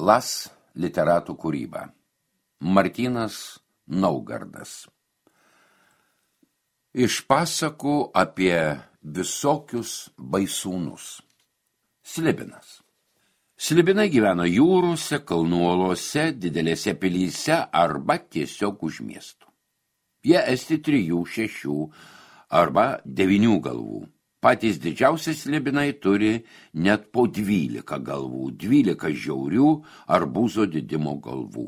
Klas literatų kūryba. Martynas Naugardas. Iš pasakų apie visokius baisūnus. Slibinas. Slibinai gyveno jūrose, kalnų olose, didelėse pilyse arba tiesiog už miestų. Jie esti 3, 6 arba 9 galvų. Patys didžiausi slibinai turi net po 12 galvų, 12 žiaurių arbūzo didimo galvų.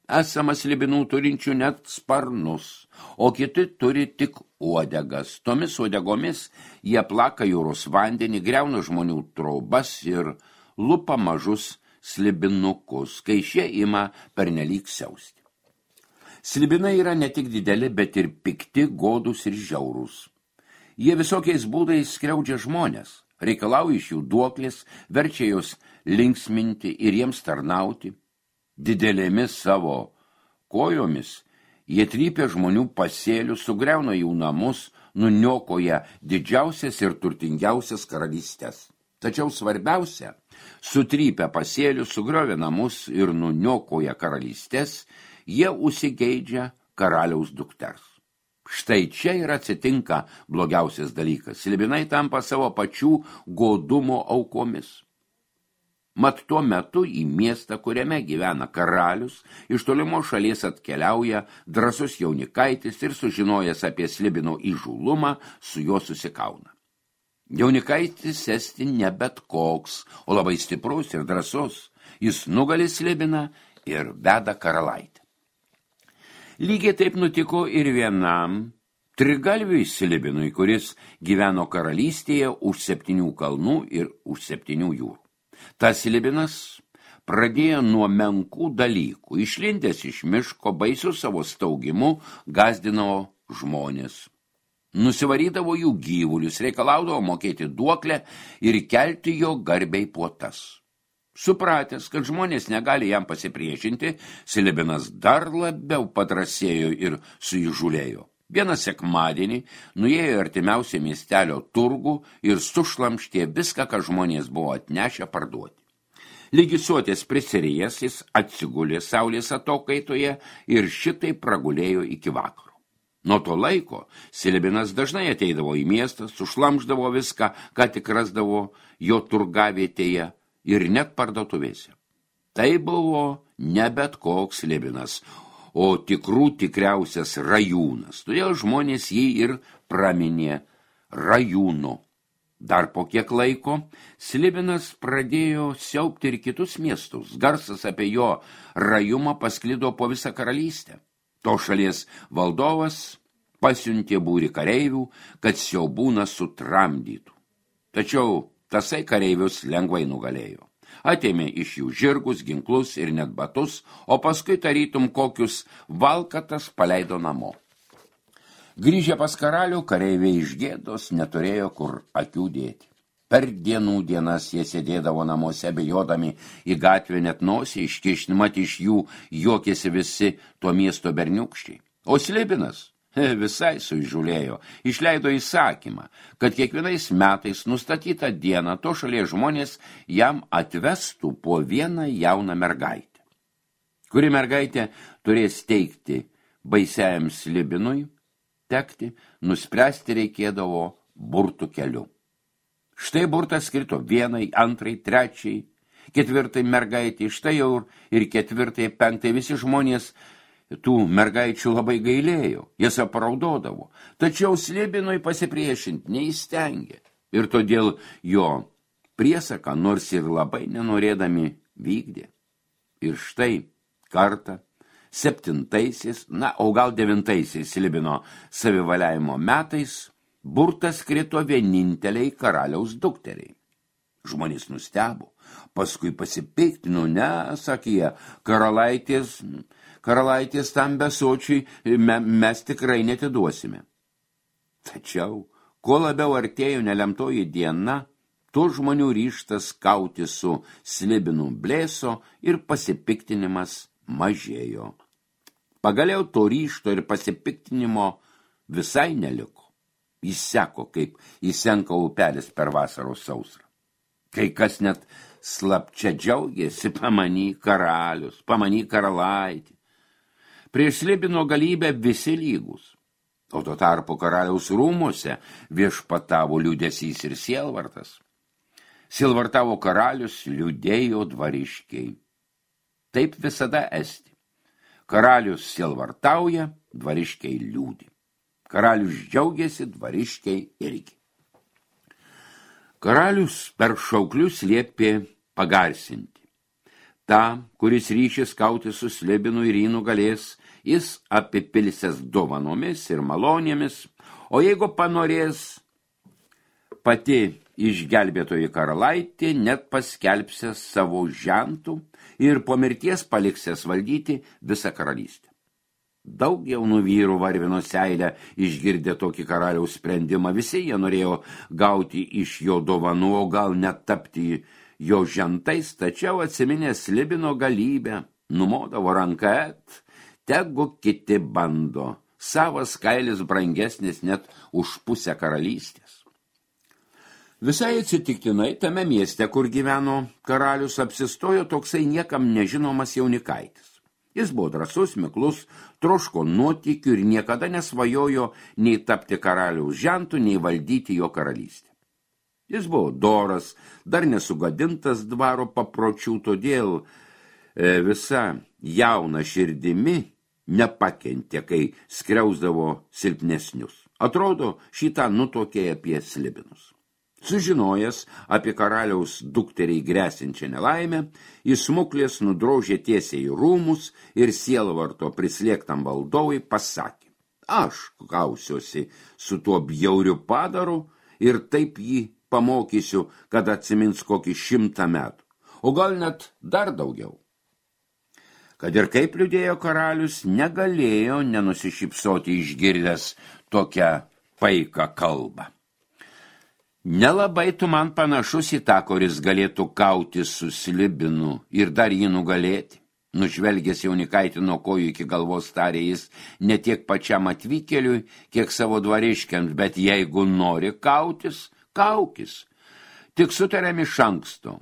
Esama slibinų turinčių net sparnus, o kiti turi tik uodegas. Tomis uodegomis jie plaka jūros vandenį, griauna žmonių trobas ir lupa mažus slibinukus, kai šie ima pernelyg siausti. Slibinai yra ne tik dideli, bet ir pikti, godūs ir žiaurūs. Jie visokiais būdais skriaudžia žmonės, reikalauja iš jų duoklės, verčia juos linksminti ir jiems tarnauti. Didelėmis savo kojomis jie trypia žmonių pasėlius, sugriauna jų namus, nuniokoja didžiausias ir turtingiausias karalystės. Tačiau svarbiausia, sutrypia pasėlius, sugriovia namus ir nuniokoja karalystės, jie užsigeidžia karaliaus dukters. Štai čia ir atsitinka blogiausias dalykas. Slibinai tampa savo pačių godumo aukomis. Mat tuo metu į miestą, kuriame gyvena karalius, iš tolimos šalies atkeliauja drąsus jaunikaitis ir sužinojęs apie slibino įžūlumą, su juo susikauna. Jaunikaitis esti ne bet koks, o labai stiprus ir drąsus. Jis nugali slibiną ir veda karalaitę. Lygiai taip nutiko ir vienam trigalviui slibinui, kuris gyveno karalystėje už 7 kalnų ir už 7 jūrų. Tas slibinas pradėjo nuo menkų dalykų. Išlindęs iš miško, baisiu savo staugimu, gazdino žmonės. Nusivarydavo jų gyvulius, reikalaudavo mokėti duoklę ir kelti jo garbiai puotas. Supratęs, kad žmonės negali jam pasipriešinti, slibinas dar labiau padrasėjo ir suįžūlėjo. Vieną sekmadienį nuėjo artimiausią miestelio turgų ir sušlamštė viską, ką žmonės buvo atnešę parduoti. Lygisuotės prisirėjęs jis atsigulė saulės atokaitoje ir šitai pragulėjo iki vakaro. Nuo to laiko slibinas dažnai ateidavo į miestą, sušlamždavo viską, ką tik rasdavo jo turgavietėje ir net parduotuvėse. Tai buvo ne bet koks slibinas, o tikriausias rajūnas. Todėl žmonės jį ir praminė rajūnu. Dar po kiek laiko slibinas pradėjo siaubti ir kitus miestus. Garsas apie jo rajumą pasklido po visą karalystę. To šalies valdovas pasiuntė būrį kareivių, kad siaubūną sutramdytų. Tačiau tasai kareivius lengvai nugalėjo. Atėmė iš jų žirgus, ginklus ir net batus, o paskui tarytum kokius valkatas paleido namo. Grįžę pas karalių, kareiviai iš gėdos neturėjo kur akių dėti. Per dienų dienas jie sėdėdavo namuose, bejodami į gatvę, net nosį iškišti, mat iš jų juokėsi visi to miesto berniukščiai. O slibinas visai suįžūlėjo, išleido įsakymą, kad kiekvienais metais nustatytą dieną to šalies žmonės jam atvestų po vieną jauną mergaitę. Kuri mergaitė turės teikti baisiajam slibinui tekti, nuspręsti reikėdavo burtų keliu. Štai burtas skrito 1, 2, 3, 4 mergaitė, štai jau ir 4, 5 visi žmonės tų mergaičių labai gailėjo, jas apraudodavo, tačiau slibinui pasipriešinti neįstengė ir todėl jo priesaką nors ir labai nenorėdami vykdė. Ir štai kartą 7, o gal 9 slibino savivaliavimo metais burtas krito vieninteliai karaliaus dukteriai. Žmonės nustebo, paskui pasipiktino, sakė jie, karalaitės tam besočiui mes tikrai netiduosime. Tačiau, kuo labiau artėjo nelemtoji diena, tuo žmonių ryžtas kauti su slibinu blėso ir pasipiktinimas mažėjo. Pagaliau to ryžto ir pasipiktinimo visai neliko. Jis seko, kaip įsenka upelis per vasaros sausrą. Kai kas net slapčia džiaugėsi pamany karalius, pamany karalaitį. Prieš Slibino galybę visi lygus, o tuo tarpu karaliaus rūmuose viešpatavo liūdesys ir sielvartas. Sielvartavo karalius, liūdėjo dvariškiai. Taip visada esti. Karalius sielvartauja, dvariškiai liūdi. Karalius džiaugiasi, dvariškiai irgi. Karalius per šauklius liepė pagarsinti. Ta, kuris ryšis kauti su Slibinu ir jį nugalės, jis apipilsės dovanomis ir malonėmis, o jeigu panorės pati išgelbėtoji karalaitė, net paskelbsės savo žentų ir po mirties paliksės valdyti visą karalystę. Daug jaunų vyrų varvino seilę išgirdę tokį karaliaus sprendimą. Visi jie norėjo gauti iš jo dovanų, o gal net tapti jo žentais, tačiau atsiminę Slibino galybę, numodavo ranką, tegu kiti bando. Savas kailis brangesnis net už pusę karalystės. Visai atsitiktinai tame mieste, kur gyveno karalius, apsistojo toksai niekam nežinomas jaunikaitis. Jis buvo drąsus, miklus, troško nuotykių ir niekada nesvajojo nei tapti karaliaus žentu, nei valdyti jo karalystę. Jis buvo doras, dar nesugadintas dvaro papročių, todėl visa jauna širdimi nepakentė, kai skriausdavo silpnesnius. Atrodo, šitą nutokė apie Slibinus. Sužinojęs apie karaliaus dukteriai grėsinčią nelaimę, jis smuklės nudrožė tiesiai į rūmus ir sielvarto prislėgtam valdovui pasakė: aš kausiuosi su tuo bjauriu padaru ir taip jį pamokysiu, kad atsimins kokį 100 metų, o gal net dar daugiau. Kad ir kaip liūdėjo karalius, negalėjo nenusišypsoti išgirdęs tokią paiką kalbą. Nelabai tu man panašus į tą, kuris galėtų kauti su Slibinu ir dar jį nugalėti. Nužvelgęs jaunikaitį nuo kojų iki galvos tarė jis ne tiek pačiam atvykėliui, kiek savo dvariškiams, bet jeigu nori kautis, kaukis. Tik sutarėm iš anksto.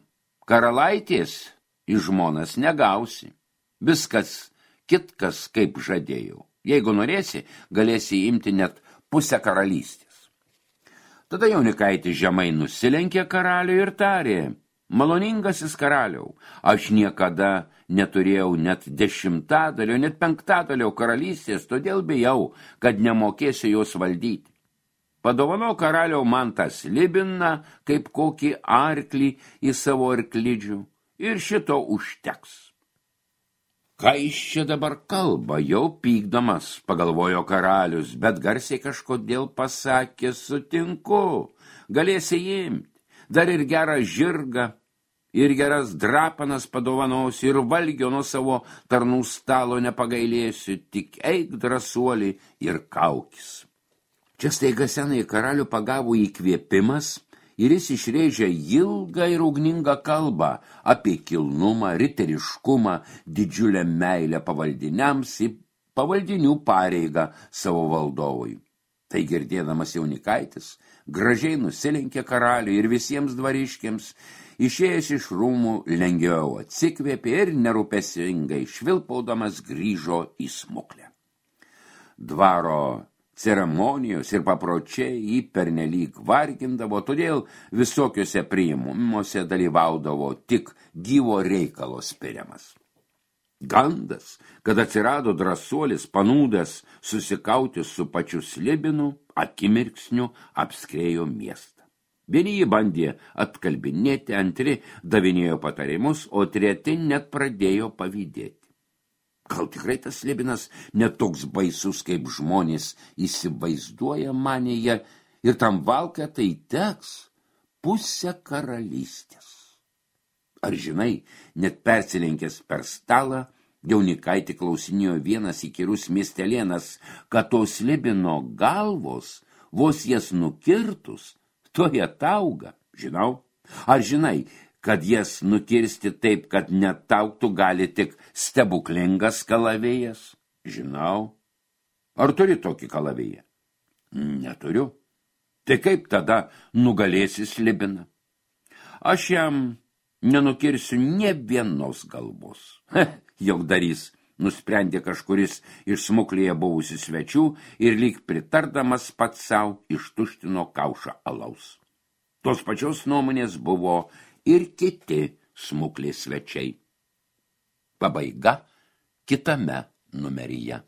Karalaitės į žmonas negausi. Viskas kitkas kaip žadėjau. Jeigu norėsi, galėsi imti net pusę karalystės. Tada jaunikaitis žemai nusilenkė karaliui ir tarė: maloningasis karaliau, aš niekada neturėjau net 10, net 5 karalystės, todėl bijau, kad nemokėsiu jos valdyti. Padovano karaliau man tą Slibiną kaip kokį arklį į savo arklidžių ir šito užteks. Ką iš čia dabar kalba, jau pykdamas, pagalvojo karalius, bet garsiai kažkodėl pasakė: sutinku, galėsi imti, dar ir gerą žirgą, ir geras drapanas padovanos, ir valgio nuo savo tarnų stalo nepagailėsiu, tik eik drąsuolį ir kaukis. Čia staiga senai karalių pagavo įkvėpimas, ir jis išrėžė ilgą ir ugningą kalbą apie kilnumą, riteriškumą, didžiulę meilę pavaldiniams ir pavaldinių pareigą savo valdovui. Tai girdėdamas jaunikaitis, gražiai nusilenkė karaliui ir visiems dvariškiams, išėjęs iš rūmų lengviau atsikvėpė ir nerūpestingai švilpaudamas grįžo į smuklę. Dvaro ceremonijos ir papročiai jį pernelyg vargindavo, todėl visokiuose priėmimuose dalyvaudavo tik gyvo reikalo spiriamas. Gandas, kad atsirado drąsuolis panūdas susikauti su pačiu Slibinu, akimirksniu apskriejo miestą. Vieni jį bandė atkalbinėti, antri davinėjo patarimus, o treti net pradėjo pavydėti. Gal tikrai tas Slibinas net toks baisus, kaip žmonės įsivaizduoja, manė jie, ir tam valkatai teks pusę karalystės. Ar žinai, net persilenkęs per stalą, jaunikaitį klausinėjo vienas įkyrus miestelėnas, kad to Slibino galvos, vos jas nukirtus, toje tauga, žinau. Ar žinai, kad jas nukirsti taip, kad netauktų gali tik stebuklingas kalavėjas? Žinau. Ar turi tokį kalavėją? Neturiu. Tai kaip tada nugalėsi Slibiną? Aš jam nenukirsiu nė vienos galvos. Jaukdarys, nusprendė kažkuris iš smuklėje buvusių svečių ir lyg pritardamas pats savo ištuštino kaušą alaus. Tos pačios nuomonės buvo ir kiti smuklės svečiai. Pabaiga kitame numeryje.